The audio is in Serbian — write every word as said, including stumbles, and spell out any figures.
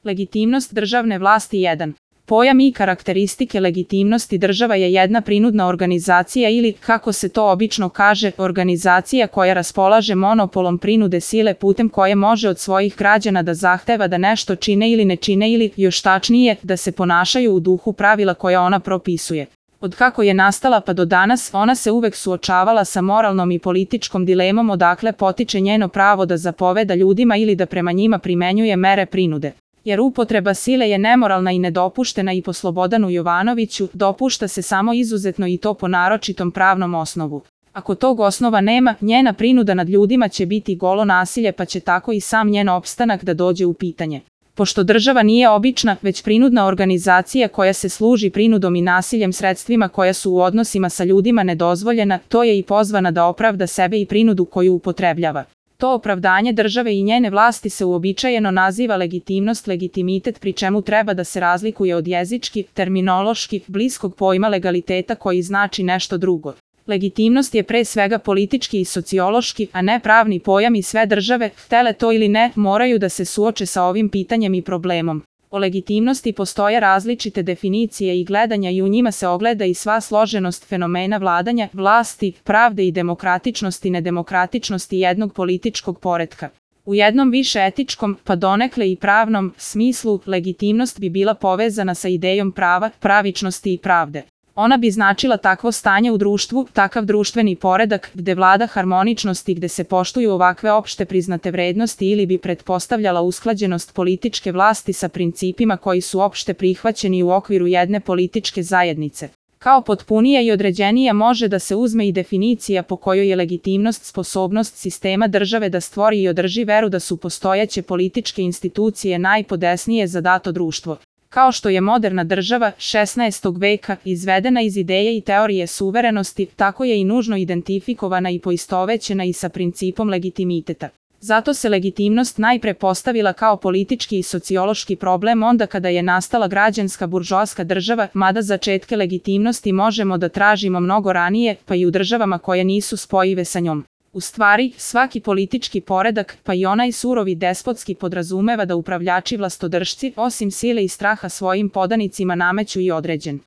Legitimnost državne vlasti jedan. Pojam i karakteristike legitimnosti država je jedna prinudna organizacija ili, kako se to obično kaže, organizacija koja raspolaže monopolom prinude sile putem koje može od svojih građana da zahteva da nešto čine ili ne čine ili, još tačnije, da se ponašaju u duhu pravila koja ona propisuje. Od kako je nastala pa do danas, ona se uvek suočavala sa moralnom i političkom dilemom odakle potiče njeno pravo da zapoveda ljudima ili da prema njima primenjuje mere prinude. Jer upotreba sile je nemoralna i nedopuštena i po Slobodanu Jovanoviću, dopušta se samo izuzetno i to po naročitom pravnom osnovu. Ako tog osnova nema, njena prinuda nad ljudima će biti golo nasilje pa će tako i sam njen opstanak da dođe u pitanje. Pošto država nije obična, već prinudna organizacija koja se služi prinudom i nasiljem sredstvima koja su u odnosima sa ljudima nedozvoljena, to je i pozvana da opravda sebe i prinudu koju upotrebljava. To opravdanje države i njene vlasti se uobičajeno naziva legitimnost, legitimitet, pri čemu treba da se razlikuje od jezički, terminološki, bliskog pojma legaliteta koji znači nešto drugo. Legitimnost je pre svega politički i sociološki, a ne pravni pojam i sve države, htele to ili ne, moraju da se suoče sa ovim pitanjem i problemom. O legitimnosti postoje različite definicije i gledanja i u njima se ogleda i sva složenost fenomena vladanja, vlasti, pravde i demokratičnosti i nedemokratičnosti jednog političkog poretka. U jednom više etičkom, pa donekle i pravnom, smislu, legitimnost bi bila povezana sa idejom prava, pravičnosti i pravde. Ona bi značila takvo stanje u društvu, takav društveni poredak, gde vlada harmoničnost i gde se poštuju ovakve opšte priznate vrednosti ili bi pretpostavljala usklađenost političke vlasti sa principima koji su opšte prihvaćeni u okviru jedne političke zajednice. Kao potpunija i određenija može da se uzme i definicija po kojoj je legitimnost sposobnost sistema države da stvori i održi veru da su postojeće političke institucije najpodesnije za dato društvo. Kao što je moderna država šesnaestog veka izvedena iz ideje i teorije suverenosti, tako je i nužno identifikovana i poistovećena i sa principom legitimiteta. Zato se legitimnost najpre postavila kao politički i sociološki problem onda kada je nastala građanska buržoaska država, mada začetke legitimnosti možemo da tražimo mnogo ranije, pa i u državama koje nisu spojive sa njom. U stvari, svaki politički poredak, pa i onaj surovi despotski podrazumeva da upravljači vlastodržci, osim sile i straha svojim podanicima nameću i određen